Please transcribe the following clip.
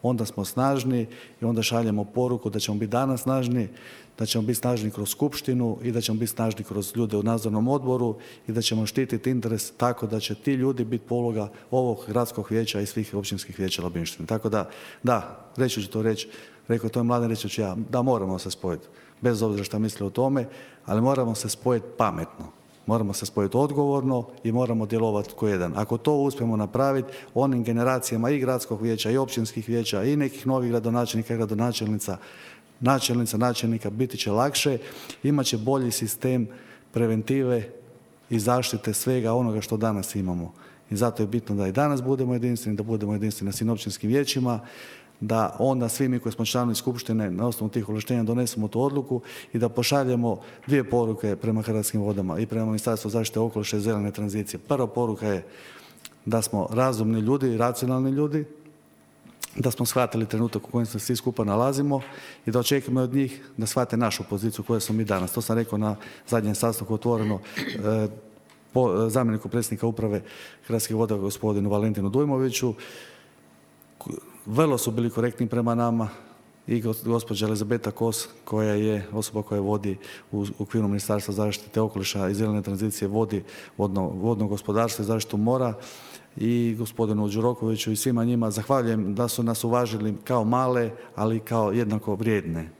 onda smo snažni i onda šaljemo poruku da ćemo biti danas snažni, da ćemo biti snažni kroz skupštinu i da ćemo biti snažni kroz ljude u nadzornom odboru i da ćemo štititi interes tako da će ti ljudi biti poluga ovog gradskog vijeća i svih općinskih vijeća Labinštine. Tako da, reći ću to reći, rekao to je Mladen, reći ću ja, da moramo se spojiti, bez obzira šta misle o tome, ali moramo se spojiti pametno. Moramo se spojiti odgovorno i moramo djelovati ko jedan. Ako to uspijemo napraviti, onim generacijama i gradskog vijeća i općinskih vijeća i nekih novih gradonačelnika i gradonačelnica, načelnika biti će lakše, imat će bolji sistem preventive i zaštite svega onoga što danas imamo. I zato je bitno da i danas budemo jedinstveni, da budemo jedinstveni na svim općinskim vijećima, da onda svi mi koji smo članovi skupštine na osnovu tih ovlaštenja donesemo tu odluku i da pošaljemo dvije poruke prema Hrvatskim vodama i prema Ministarstvu zaštite okoliša i zelene tranzicije. Prva poruka je da smo razumni ljudi i racionalni ljudi, da smo shvatili trenutak u kojem se svi skupa nalazimo i da očekujemo od njih da shvate našu poziciju koju smo mi danas. To sam rekao na zadnjem sastanku otvoreno zamjeniku predsjednika uprave Hrvatskih voda gospodinu Valentinu Dujmoviću. Vrlo su bili korektni prema nama i gospođa Elizabeta Kos, koja je osoba koja vodi u okviru Ministarstva zaštite okoliša i zelene tranzicije, vodi vodno gospodarstvo i zaštitu mora, i gospodinu Đurokoviću i svima njima zahvaljujem da su nas uvažili kao male, ali kao jednako vrijedne.